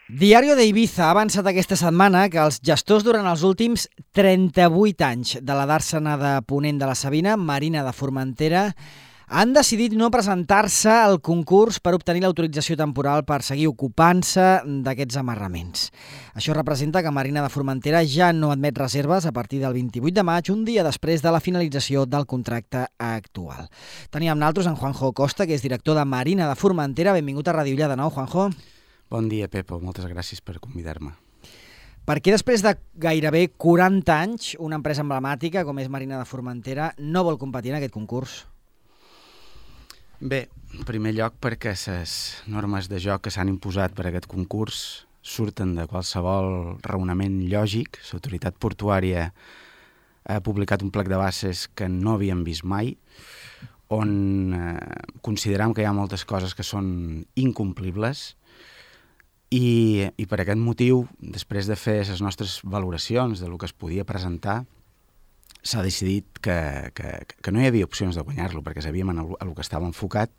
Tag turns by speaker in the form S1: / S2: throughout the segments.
S1: Diario de Ibiza ha avançat aquesta setmana que els gestors durant els últims 38 anys de la dàrsena de Ponent de la Sabina, Marina de Formentera, han decidit no presentar-se al concurs per obtenir l'autorització temporal per seguir ocupant-se d'aquests amarraments. Això representa que Marina de Formentera ja no admet reserves a partir del 28 de maig, un dia després de la finalització del contracte actual. Tenim amb nosaltres en Juanjo Costa, que és director de Marina de Formentera. Benvingut a Ràdio Illa de nou, Juanjo.
S2: Bon dia, Pepo. Moltes gràcies per convidar-me.
S1: Per què després de gairebé 40 anys una empresa emblemàtica com és Marina de Formentera no vol competir en aquest concurs?
S2: Bé, en primer lloc perquè les normes de joc que s'han imposat per a aquest concurs surten de qualsevol raonament lògic. L'autoritat portuària ha publicat un plec de bases que no havíem vist mai, on consideram que hi ha moltes coses que són incomplibles i per aquest motiu, després de fer les nostres valoracions de lo que es podia presentar, s'ha decidit que no hi havia opcions de guanyar-lo perquè sabíem a lo que estava enfocat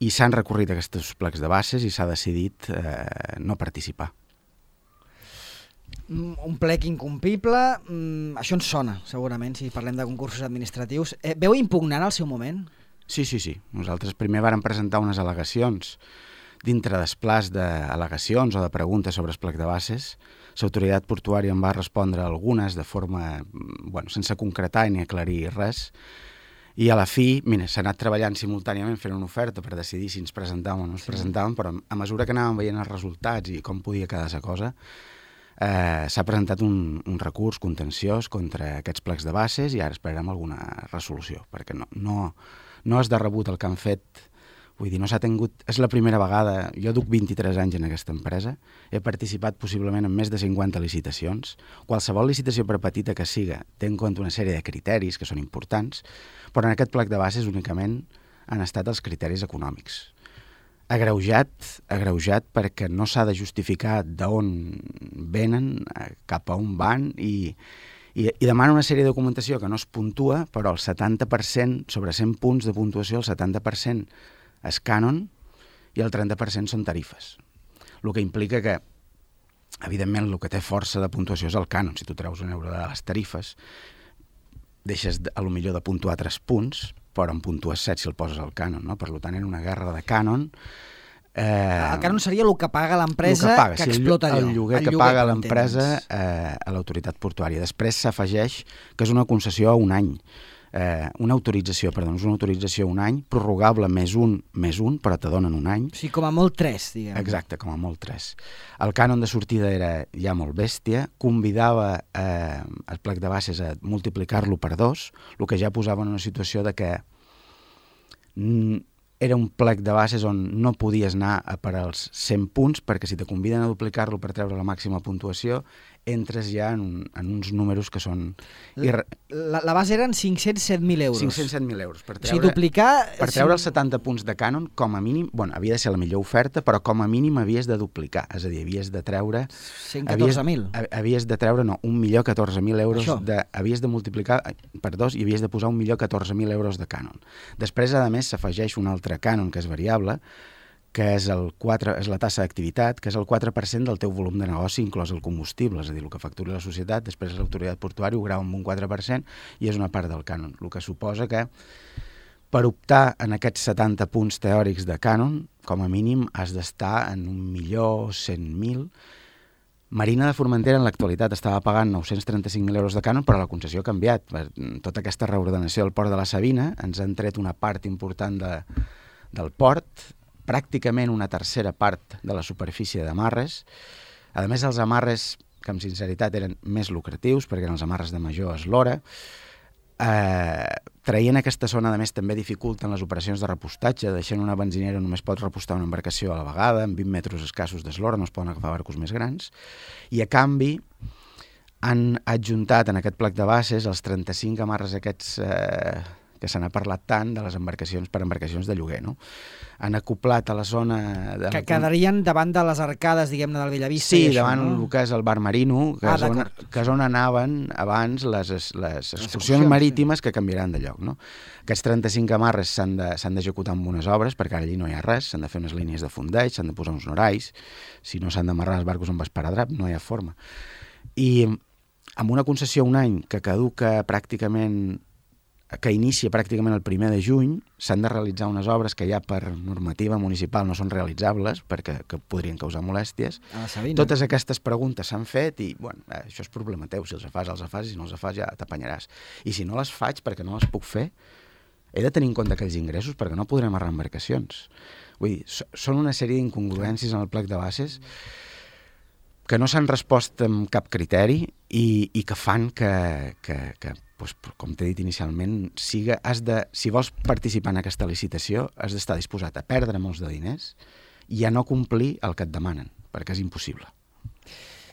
S2: i s'han recorrit aquests plecs de bases i s'ha decidit no participar.
S1: Un plec incomplible, això ens sona, segurament, si parlem de concursos administratius. Veu impugnant al seu moment?
S2: Sí. Nosaltres primer vàrem presentar unes al·legacions dintre del plaç d'al·legacions o de preguntes sobre el plec de bases. L'autoritat portuària en va respondre algunes de forma, sense concretar ni aclarir res, i a la fi, s'ha anat treballant simultàniament fent una oferta per decidir si ens presentàvem o no ens presentàvem, però a mesura que anàvem veient els resultats i com podia quedar la cosa, s'ha presentat un recurs contenciós contra aquests plecs de bases i ara esperarem alguna resolució, perquè no és de rebut el que han fet. Vull dir, no s'ha tingut... És la primera vegada... Jo duc 23 anys en aquesta empresa. He participat possiblement en més de 50 licitacions. Qualsevol licitació, per petita que siga, té en compte una sèrie de criteris que són importants, però en aquest plec de bases únicament han estat els criteris econòmics. Agreujat perquè no s'ha de justificar d'on venen, cap a on van i demana una sèrie de documentació que no es puntua, però el 70%, sobre 100 punts de puntuació, el 70% és cànon i el 30% són tarifes. El que implica que, evidentment, el que té força de puntuació és el cànon. Si tu treus un euro de les tarifes, deixes a lo millor de puntuar 3 punts, però en puntues 7 si el poses al cànon, no? Per tant, era una guerra de cànon.
S1: El cànon seria el que paga l'empresa que explota allò.
S2: El lloguer que paga l'empresa a l'autoritat portuària. Després s'afegeix que és una concessió a un any. Una autorització a un any, prorrogable més un, però te donen un any.
S1: Sí, com a molt 3, diguem.
S2: Exacte, com a molt 3. El cànon de sortida era ja molt bèstia, convidava el plec de bases a multiplicar-lo per 2, el que ja posava en una situació de que era un plec de bases on no podies anar a per als 100 punts, perquè si te conviden a duplicar-lo per treure la màxima puntuació, entres ja en uns números que són...
S1: La base eren 507.000 euros.
S2: 507.000 euros. Per
S1: treure
S2: els 70 punts de cànon, com a mínim, havia de ser la millor oferta, però com a mínim havies de duplicar. És a dir, havies de treure...
S1: 114.000.
S2: Havies de treure, 1.014.000 euros. Havies de multiplicar per 2 i havies de posar 1.014.000 euros de cànon. Després, a més, s'afegeix un altre cànon, que és variable, que és la tassa d'activitat, que és el 4% del teu volum de negoci, inclòs el combustible, és a dir, el que facturi la societat, després l'autoritat portuària ho grava amb un 4% i és una part del cànon, el que suposa que per optar en aquests 70 punts teòrics de cànon, com a mínim has d'estar en 1.100.000. Marina de Formentera en l'actualitat estava pagant 935.000 euros de cànon, però la concessió ha canviat. Tota aquesta reordenació del port de la Sabina ens han tret una part important del port, pràcticament una tercera part de la superfície d'amarres. A més, els amarres, que amb sinceritat eren més lucratius, perquè eren els amarres de major eslora, traient aquesta zona, a més, també dificulten les operacions de repostatge, deixant una benzinera només pot repostar una embarcació a la vegada, amb 20 metres escassos d'eslora, no es poden agafar barcos més grans, i a canvi han adjuntat en aquest plec de bases els 35 amarres aquests que se n'ha parlat tant de les embarcacions per embarcacions de lloguer, no? Han acoplat a la zona...
S1: Que quedarien davant de les arcades, diguem-ne, del Bellavista.
S2: Sí, davant el que és el bar Marino, que és on anaven abans les excursions marítimes que canviaran de lloc, no? Aquests 35 amarres s'han d'executar amb unes obres, perquè allí no hi ha res, s'han de fer unes línies de fondeig, s'han de posar uns norais, si no s'han d'amarrar els barcos amb esparadrap, no hi ha forma. I amb una concessió un any que caduca pràcticament, que inicia pràcticament el 1 de juny, s'han de realitzar unes obres que ja per normativa municipal no són realitzables perquè podrien causar molèsties. Totes aquestes preguntes s'han fet i, bueno, això és problema teu, si els fas, i si no els fas ja t'apanyaràs. I si no les faig perquè no les puc fer, he de tenir en compte aquells ingressos perquè no podrem amarrar embarcacions. Vull dir, són una sèrie d'incongruències en el plec de bases que no s'han respost amb cap criteri i que fan que doncs, com t'he dit inicialment, si vols participar en aquesta licitació has d'estar disposat a perdre molts de diners i a no complir el que et demanen, perquè és impossible.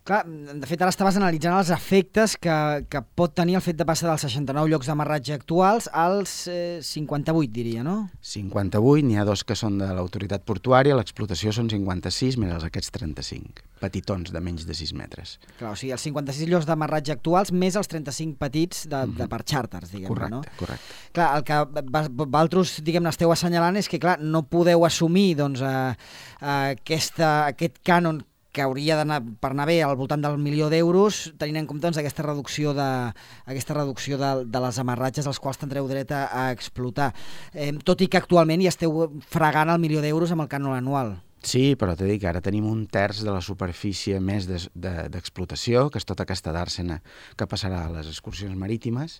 S1: Clar, de fet, ara estaves analitzant els efectes que pot tenir el fet de passar dels 69 llocs d'amarratge actuals als 58, diria, no?
S2: 58, n'hi ha 2 que són de l'autoritat portuària, l'explotació són 56, més aquests 35, petitons de menys de 6 metres.
S1: Clar, o sigui, els 56 llocs d'amarratge actuals més els 35 petits de per xàrters, diguem-ne, no?
S2: Correcte.
S1: Clar, el que vosaltres, diguem-ne, esteu assenyalant és que, clar, no podeu assumir, doncs, aquest cànon que hauria d'anar per anar bé al voltant del 1.000.000 d'euros, tenint en compte doncs, aquesta reducció de les amarratges als quals tindreu dret a explotar. Tot i que actualment ja esteu fregant el 1.000.000 d'euros amb el cànon anual.
S2: Sí, però t'he dit que ara tenim 1/3 de la superfície més d'explotació, que és tota aquesta dàrsena que passarà a les excursions marítimes,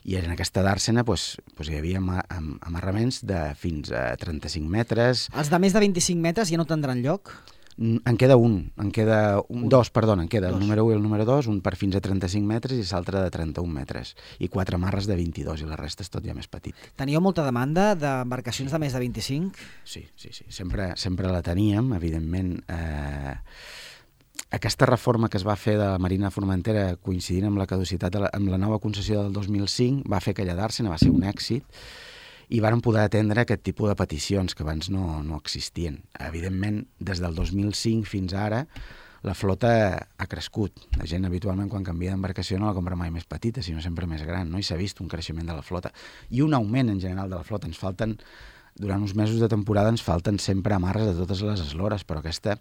S2: i en aquesta dàrsena hi havia amarraments de fins a 35 metres.
S1: Els de més de 25 metres ja no tindran lloc?
S2: En queda dos, el número 1 i el número 2, un per fins a 35 metres i l'altre de 31 metres, i 4 amarres de 22, i la resta és tot ja més petit.
S1: Teníeu molta demanda d'embarcacions de més de 25?
S2: Sí, sempre la teníem, evidentment. Aquesta reforma que es va fer de la Marina de Formentera coincidint amb la caducitat, amb la nova concessió del 2005, va fer aquella dàrsena, va ser un èxit, i varen poder atendre aquest tipus de peticions que abans no existien. Evidentment, des del 2005 fins ara, la flota ha crescut. La gent habitualment quan canvia d'embarcació no la compra mai més petita, sinó sempre més gran, no? I s'ha vist un creixement de la flota. I un augment en general de la flota. Durant uns mesos de temporada ens falten sempre amarres de totes les eslores, però aquesta,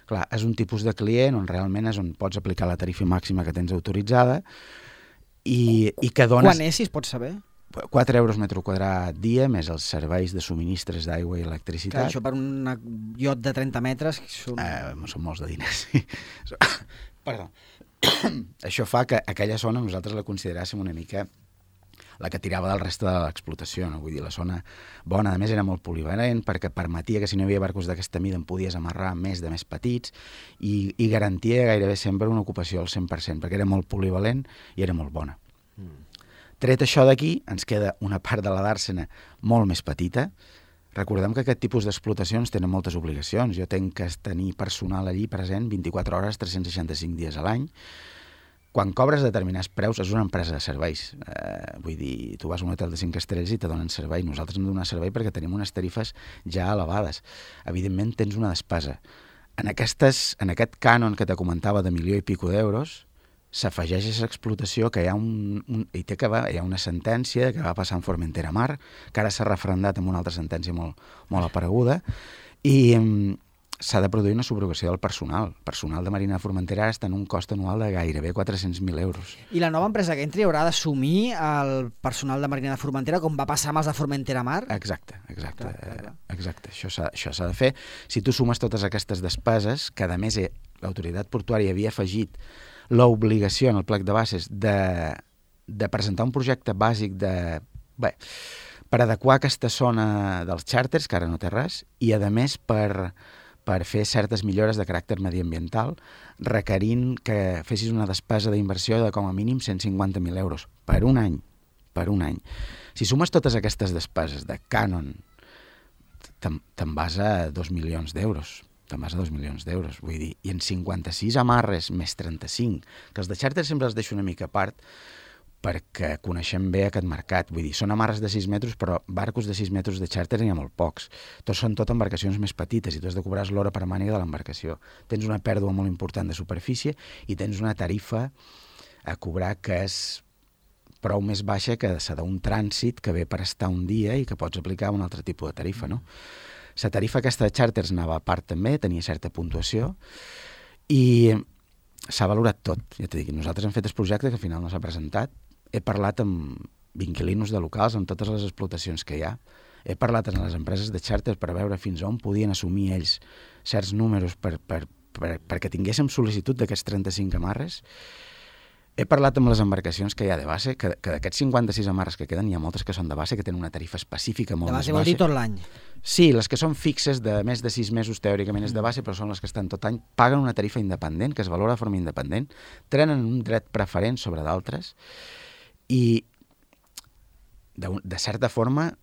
S2: clar, és un tipus de client on realment és on pots aplicar la tarifa màxima que tens autoritzada i que dones...
S1: Quan és, si es pot saber?
S2: 4 euros metre quadrat dia, més els serveis de subministres d'aigua i electricitat.
S1: Clar, això per un iot de 30 metres... Són
S2: molts de diners. Perdó. Això fa que aquella zona nosaltres la consideràssim una mica la que tirava del reste de l'explotació, no? Vull dir, la zona bona, a més, era molt polivalent perquè permetia que si no hi havia barcos d'aquesta mida en podies amarrar més de més petits i garantia gairebé sempre una ocupació al 100%, perquè era molt polivalent i era molt bona. Tret això d'aquí, ens queda una part de la dàrsena molt més petita. Recordem que aquest tipus d'explotacions tenen moltes obligacions. Jo tenc que tenir personal allí present 24 hores, 365 dies a l'any. Quan cobres determinats preus, és una empresa de serveis. Vull dir, tu vas a un hotel de 5 estrelles i te donen servei. Nosaltres hem de donar servei perquè tenim unes tarifes ja elevades. Evidentment, tens una despesa. En aquest cànon que te comentava de 1.000.000 i pico d'euros, s'afegeix a aquesta explotació que hi ha una sentència que va passar en Formentera Mar, que ara s'ha referendat amb una altra sentència molt apareguda, i s'ha de produir una subrogació del personal. El personal de Marina de Formentera està en un cost anual de gairebé 400.000 euros.
S1: I la nova empresa que entri haurà d'assumir el personal de Marina de Formentera com va passar amb els de Formentera Mar?
S2: Exacte. Això s'ha de fer. Si tu sumes totes aquestes despeses, que a més l'autoritat portuària havia afegit l'obligació en el plec de bases de presentar un projecte bàsic per adequar aquesta zona dels xàrters, que ara no té res, i a més per fer certes millores de caràcter mediambiental, requerint que fessis una despesa d'inversió de com a mínim 150.000 euros per un any. Si sumes totes aquestes despeses de cànon, te'n vas a 2 milions d'euros. Vull dir, i en 56 amarres més 35, que els de xàrter sempre els deixo una mica a part, perquè coneixem bé aquest mercat. Vull dir, són amarres de 6 metres, però barcos de 6 metres de xàrter n'hi ha molt pocs. Són tot embarcacions més petites i tu has de cobrar l'hora per màniga de l'embarcació. Tens una pèrdua molt important de superfície i tens una tarifa a cobrar que és prou més baixa que la d'un trànsit que ve per estar un dia i que pots aplicar un altre tipus de tarifa, no? La tarifa aquesta de xàrters anava a part també, tenia certa puntuació i s'ha valorat tot. Ja t'he dit, nosaltres hem fet el projecte que al final no s'ha presentat. He parlat amb inquilinos de locals, amb totes les explotacions que hi ha. He parlat amb les empreses de xàrter per veure fins on podien assumir ells certs números perquè tinguéssim sol·licitud d'aquests 35 amarres. He parlat amb les embarcacions que hi ha de base, que d'aquests 56 amarres que queden, hi ha moltes que són de base, que tenen una tarifa específica molt més baixa.
S1: De base vol dir tot l'any?
S2: Sí, les que són fixes de més de 6 mesos teòricament és de base, però són les que estan tot any, paguen una tarifa independent, que es valora de forma independent, tenen un dret preferent sobre d'altres i de certa forma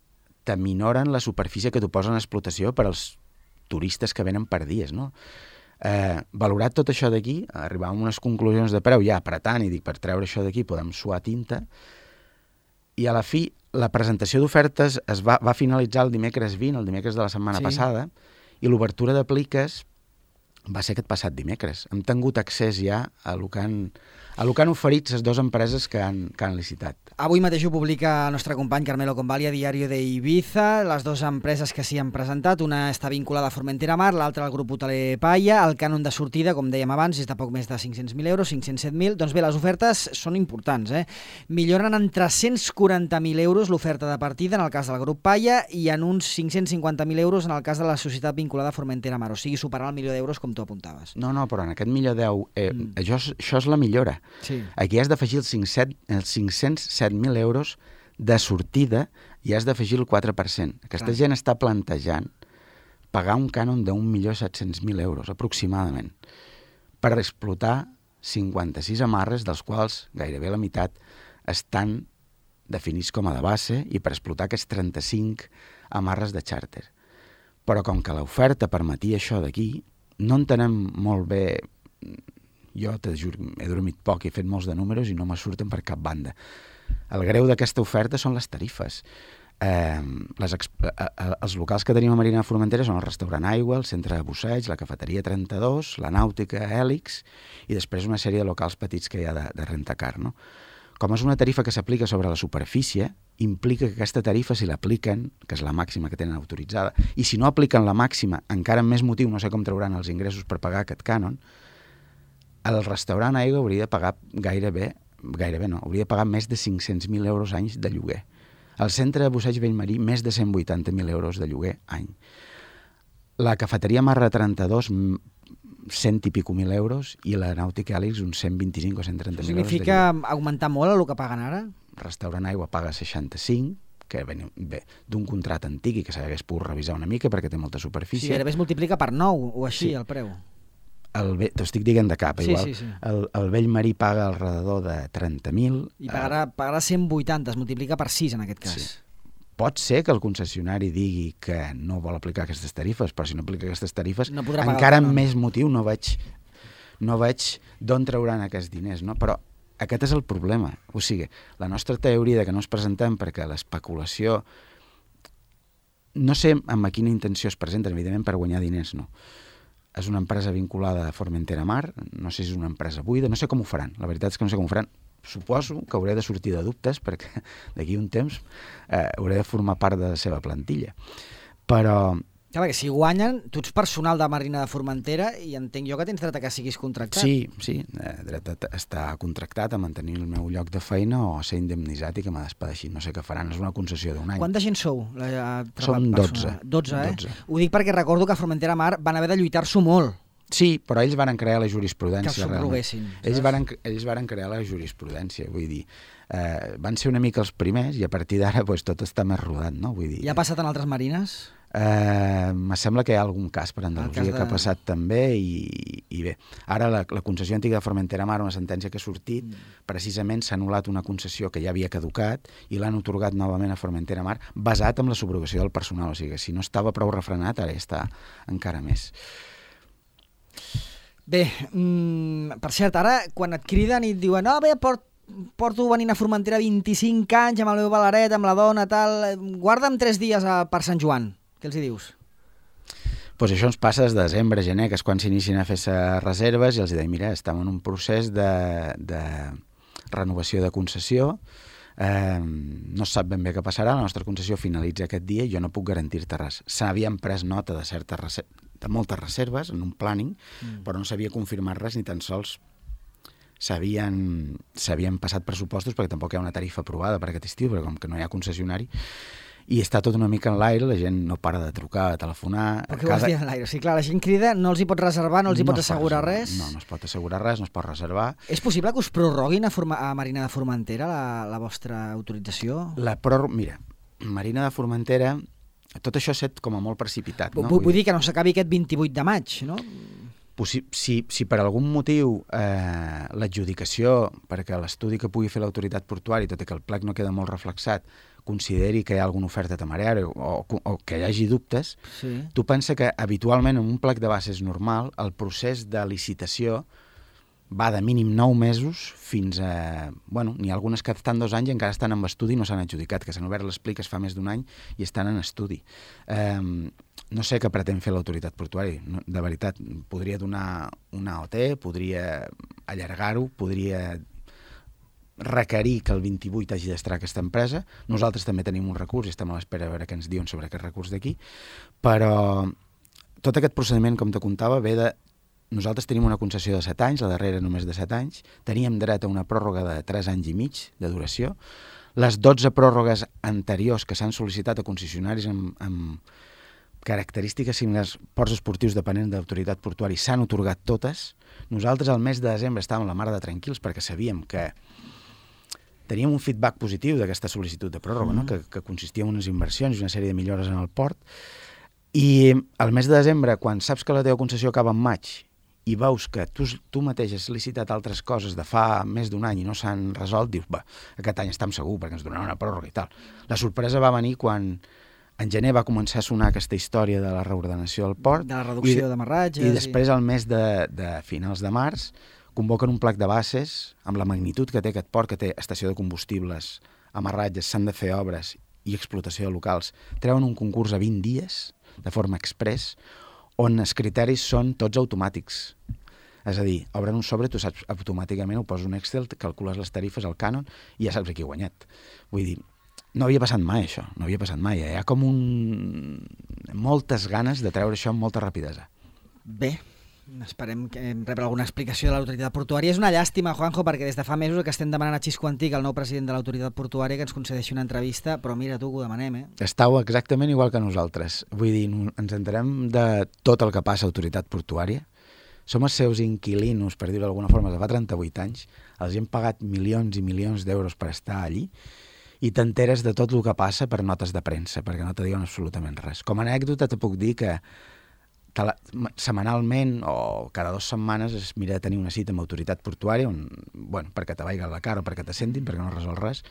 S2: t'aminoren la superfície que t'ho posen a explotació per als turistes que venen per dies, no? Valorat tot això d'aquí, arribar a unes conclusions de preu ja apretant i dic, per treure això d'aquí podem suar tinta, i a la fi la presentació d'ofertes va finalitzar el dimecres 20, el dimecres de la setmana passada, i l'obertura de pliques va ser aquest passat dimecres. Hem tingut accés ja a lo que han oferit les dues empreses que han licitat.
S1: Avui mateix ho publica el nostre company Carmelo Convalia, Diario de Ibiza, les dues empreses que s'hi han presentat, una està vinculada a Formentera Mar, l'altra al grup hoteler Paia. El cànon de sortida, com dèiem abans, és de poc més de 500.000 euros, 507.000. Doncs bé, les ofertes són importants, milloren en 340.000 euros l'oferta de partida en el cas del grup Paia i en uns 550.000 euros en el cas de la societat vinculada a Formentera Mar, o sigui, superar el milió d'euros com tu apuntaves.
S2: No, però en aquest milió això és la millora.
S1: Sí.
S2: Aquí has d'afegir els 507.000 euros de sortida i has d'afegir el 4%. Aquesta gent està plantejant pagar un cànon d'1.700.000 euros, aproximadament, per explotar 56 amarres, dels quals gairebé la meitat estan definits com a de base i per explotar aquests 35 amarres de xàrter. Però com que l'oferta permetia això d'aquí, no entenem molt bé. Jo, t'he juro, he dormit poc, he fet molts de números i no me surten per cap banda. El greu d'aquesta oferta són les tarifes. Els locals que tenim a Marina de Formentera són el restaurant Aigua, el centre de busseig, la cafeteria 32, la nàutica Hèlix i després una sèrie de locals petits que hi ha de rentacar, no? Com és una tarifa que s'aplica sobre la superfície, implica que aquesta tarifa, si l'apliquen, que és la màxima que tenen autoritzada, i si no apliquen la màxima, encara amb més motiu, no sé com trauran els ingressos per pagar aquest cànon, el restaurant Aigua hauria de pagar gairebé no, hauria de pagar més de 500.000 euros anys de lloguer. El centre de busseig Bellmarí, més de 180.000 euros de lloguer any. La cafeteria Marra 32, 100 i pico mil euros, i la nàutica Hèlix, uns 125 o 130.000 euros de lloguer.
S1: Significa augmentar molt el que paguen ara?
S2: Restaurant Aigua paga 65, que ve d'un contracte antic i que s'hagués pogut revisar una mica perquè té molta superfície.
S1: Sí, gairebé es multiplica per 9 o així, sí. El preu.
S2: T'ho estic dient de cap, igual.
S1: Sí.
S2: El Bellmarí paga alrededor de 30.000.
S1: I pagarà 180, es multiplica per 6 en aquest cas. Sí.
S2: Pot ser que el concessionari digui que no vol aplicar aquestes tarifes, però si no aplica aquestes tarifes, encara amb més motiu no veig d'on trauran aquests diners, no? Però aquest és el problema. O sigui, la nostra teoria de que no es presentem perquè l'especulació, no sé amb quina intenció es presenten, evidentment per guanyar diners, no. És una empresa vinculada a Formentera Mar, no sé si és una empresa buida, no sé com ho faran, la veritat és que no sé com ho faran. Suposo que hauré de sortir de dubtes perquè d'aquí un temps hauré de formar part de la seva plantilla. Però...
S1: Clar, perquè si guanyen, tu ets personal de Marina de Formentera i entenc jo que tens dret a que siguis contractat.
S2: Sí, dret a estar contractat, a mantenir el meu lloc de feina o a ser indemnitzat i que me despedeixin. No sé què faran, és una concessió d'un any.
S1: Quanta gent sou?
S2: Som 12.
S1: 12. Ho dic perquè recordo que a Formentera Mar van haver de lluitar-s'ho molt.
S2: Sí, però ells van crear la jurisprudència.
S1: Que els subroguessin.
S2: Ells van crear la jurisprudència, vull dir, van ser una mica els primers i a partir d'ara tot està més rodat, no? Vull dir,
S1: ja ha passat en altres marines?
S2: Me sembla que hi ha algun cas per Andalusia que ha passat també i bé, ara la concessió antiga de Formentera Mar, una sentència que ha sortit, precisament s'ha anul·lat una concessió que ja havia caducat i l'han atorgat novament a Formentera Mar basat en la subrogació del personal, o sigui, si no estava prou refrenat, ara ja està encara més.
S1: Bé, per cert, ara quan et criden i et diuen porto venint a Formentera 25 anys, amb el meu baleret, amb la dona, tal, guarda'm 3 dies per Sant Joan. Què els hi dius?
S2: Pues això ens passa des de desembre, gener, que és quan s'inicien a fer-se reserves, i els dic, mira, estem en un procés de renovació de concessió, no sap ben bé què passarà, la nostra concessió finalitza aquest dia i jo no puc garantir-te res. S'havien pres nota de moltes reserves en un planning, però no s'havia confirmat res, ni tan sols s'havien passat pressupostos, perquè tampoc hi ha una tarifa aprovada per aquest estiu, perquè com que no hi ha concessionari, i està tot una mica en l'aire, la gent no para de trucar, de telefonar...
S1: Però què vols dir en l'aire? O sigui, clar, la gent crida, no els hi pot reservar, no els hi pots assegurar res?
S2: No es pot assegurar res, no es pot reservar.
S1: És possible que us prorroguin a Marina de Formentera la vostra autorització?
S2: Mira, Marina de Formentera, tot això ha estat com a molt precipitat. No?
S1: Vull dir que no s'acabi aquest 28 de maig, no?
S2: Si per algun motiu l'adjudicació, perquè l'estudi que pugui fer l'autoritat portuària, tot i que el plec no queda molt reflexat, consideri que hi ha alguna oferta temerària o que hi hagi dubtes,
S1: sí.
S2: Tu pensa que habitualment en un plec de bases normal el procés de licitació va de mínim 9 mesos fins a... Bueno, n'hi ha algunes que estan 2 anys i encara estan en estudi i no s'han adjudicat, que s'han obert les pliques fa més d'un any i estan en estudi. No sé què pretén fer l'autoritat portuària, de veritat. Podria donar una OT, podria allargar-ho, podria requerir que el 28 hagi d'estar aquesta empresa. Nosaltres també tenim un recurs i estem a l'espera de veure què ens diuen sobre aquest recurs d'aquí, però tot aquest procediment, com te contava, ve de... Nosaltres tenim una concessió de 7 anys, la darrera només de 7 anys, teníem dret a una pròrroga de 3 anys i mig de duració. Les 12 pròrrogues anteriors que s'han sol·licitat a concessionaris amb característiques similars, ports esportius dependents de l'autoritat portuària, s'han atorgat totes. Nosaltres al mes de desembre estàvem la mar de tranquils perquè sabíem que teníem un feedback positiu d'aquesta sol·licitud de pròrroga, no? que consistia en unes inversions i una sèrie de millores en el port. I al mes de desembre, quan saps que la teva concessió acaba en maig i veus que tu mateix has licitat altres coses de fa més d'un any i no s'han resolt, dius, aquest any estem segur perquè ens donaran una pròrroga i tal. La sorpresa va venir quan en gener va començar a sonar aquesta història de la reordenació del port.
S1: De la reducció d'amarratges.
S2: I després, al mes de finals de març, convoquen un plec de bases amb la magnitud que té aquest port, que té estació de combustibles, amarratges, s'han de fer obres i explotació de locals. Treuen un concurs a 20 dies, de forma express, on els criteris són tots automàtics. És a dir, obren un sobre, tu saps automàticament, ho poses un Excel, calcules les tarifes, el cànon, i ja saps qui ha guanyat. Vull dir, no havia passat mai això, no havia passat mai. Hi ha com moltes ganes de treure això amb molta rapidesa.
S1: Bé, esperem rebre alguna explicació de l'autoritat portuària. És una llàstima, Juanjo, perquè des de fa mesos que estem demanant a Xisco Antic, el nou president de l'autoritat portuària, que ens concedeixi una entrevista, però mira tu que ho demanem,
S2: Estàu exactament igual que nosaltres. Vull dir, ens enterem de tot el que passa a l'autoritat portuària. Som els seus inquilinos, per dir-ho d'alguna forma, de fa 38 anys. Els hem pagat milions i milions d'euros per estar allí i t'enteres de tot el que passa per notes de premsa, perquè no te diuen absolutament res. Com a anècdota te puc dir que setmanalment o cada 2 setmanes es mira de tenir una cita amb autoritat portuària perquè te vaiguen la cara o perquè te sentin, perquè no resol res.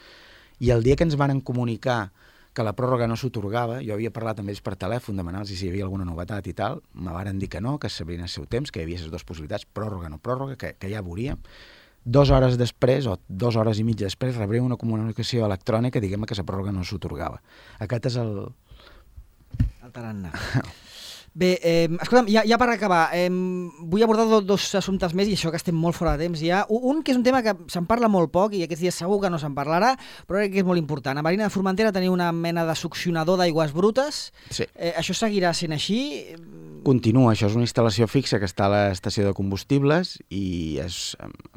S2: I el dia que ens van comunicar que la pròrroga no s'atorgava, jo havia parlat amb ells per telèfon, demanar-los si hi havia alguna novetat i tal, me varen dir que no, que sabrien el seu temps, que hi havia les 2 possibilitats, pròrroga o no pròrroga, que ja veuríem. 2 hores després, o 2 hores i mitja després, rebríem una comunicació electrònica diguem que la pròrroga no s'atorgava. Aquest és el
S1: tarannà. Bé, escolta'm, ja per acabar, vull abordar 2 assumptes més i això que estem molt fora de temps ja. Un que és un tema que se'n parla molt poc i aquests dies segur que no se'n parlarà, però crec que és molt important. A Marina de Formentera teniu una mena de succionador d'aigües brutes.
S2: Sí.
S1: Això seguirà sent així?
S2: Continua, això és una instal·lació fixa que està a l'estació de combustibles i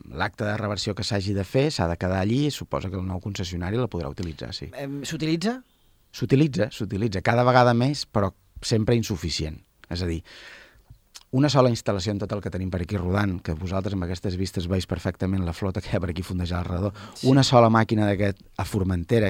S2: l'acte de reversió que s'hagi de fer s'ha de quedar allí i suposa que el nou concessionari la podrà utilitzar, sí.
S1: S'utilitza?
S2: S'utilitza, cada vegada més, però sempre insuficient. És a dir, una sola instal·lació en tot el que tenim per aquí rodant, que vosaltres amb aquestes vistes veus perfectament la flota que hi ha per aquí fondejar al redor, sí. Una sola màquina d'aquest a Formentera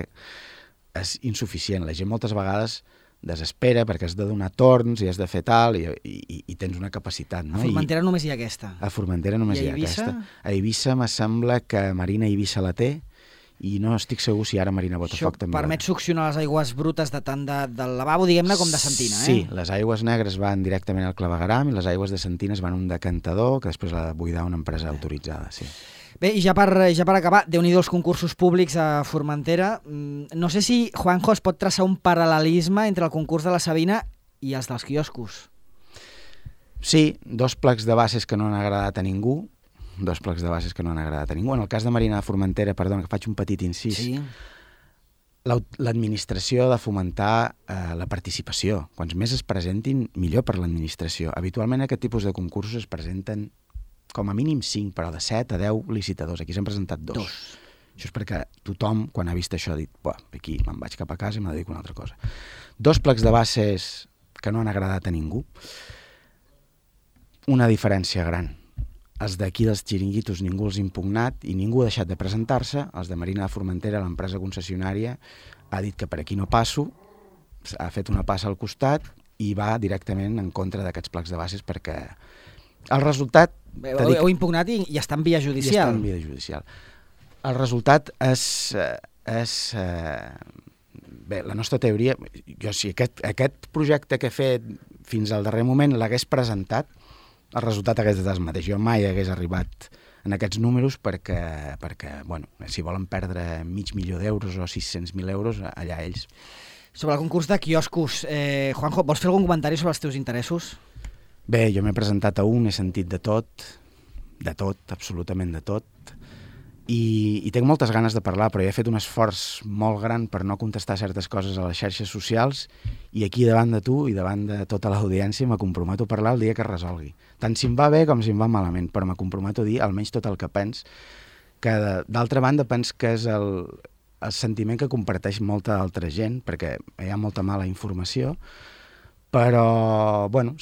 S2: és insuficient. La gent moltes vegades desespera perquè has de donar torns i has de fer tal i tens una capacitat. No?
S1: A Formentera només hi ha aquesta.
S2: A Formentera només hi ha aquesta. A Eivissa me sembla que Marina Eivissa la té, i no estic segur si ara Marina Botafoc també.
S1: Això permet succionar les aigües brutes de tant del lavabo, diguem-ne, com de sentina,
S2: Sí, les aigües negres van directament al clavegueram i les aigües de sentina van a un decantador que després l'ha de buidar una empresa autoritzada, sí.
S1: Bé, i ja per acabar, Déu-n'hi-do els concursos públics a Formentera. No sé si, Juanjo, es pot traçar un paral·lelisme entre el concurs de la Sabina i els dels quioscos.
S2: Sí, dos plecs de bases que no han agradat a ningú. En el cas de Marina de Formentera, perdona, que faig un petit incís, sí. L'administració ha de fomentar la participació. Quants més es presentin, millor per l'administració. Habitualment aquest tipus de concursos es presenten com a mínim 5, però de 7 a 10 licitadors. Aquí s'han presentat 2. Això és perquè tothom, quan ha vist això, ha dit, aquí me'n vaig cap a casa i me dedico a una altra cosa. 2 plecs de bases que no han agradat a ningú. Una diferència gran. Els d'aquí dels xiringuitos ningú els ha impugnat i ningú ha deixat de presentar-se. Els de Marina de Formentera, l'empresa concessionària, ha dit que per aquí no passo, ha fet una passa al costat i va directament en contra d'aquests plecs de bases perquè el resultat...
S1: Heu impugnat i està en via judicial.
S2: El resultat és bé, la nostra teoria... Jo, si aquest projecte que he fet fins al darrer moment l'hagués presentat, el resultat hagués estat el mateix. Jo mai hagués arribat en aquests números perquè bueno, si volen perdre 500.000 d'euros o 600.000 euros, allà ells.
S1: Sobre el concurs de quioscos, Juanjo, vols fer algun comentari sobre els teus interessos?
S2: Bé, jo m'he presentat a un, he sentit de tot, absolutament de tot, i tinc moltes ganes de parlar, però he fet un esforç molt gran per no contestar certes coses a les xarxes socials i aquí davant de tu i davant de tota l'audiència me comprometo a parlar el dia que es resolgui. Tant si em va bé com si em va malament, però me comprometo a dir almenys tot el que pens, que d'altra banda pens que és el sentiment que comparteix molta altra gent, perquè hi ha molta mala informació, però, bueno,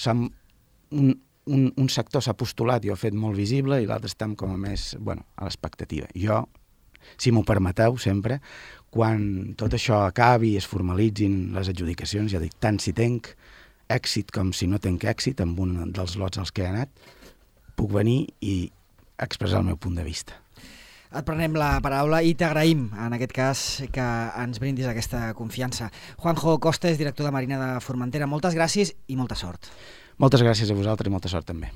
S2: un sector s'ha postulat i ho ha fet molt visible i l'altre estem com a més, bueno, a l'expectativa. Jo, si m'ho permeteu sempre, quan tot això acabi i es formalitzin les adjudicacions, ja dic, tant si tenc èxit com si no tenc èxit amb un dels lots als que he anat, puc venir i expressar el meu punt de vista.
S1: Et prenem la paraula i t'agraïm, en aquest cas, que ens brindis aquesta confiança. Juanjo Costes, director de Marina de Formentera, moltes gràcies i molta sort.
S2: Moltes gràcies a vosaltres i molta sort també.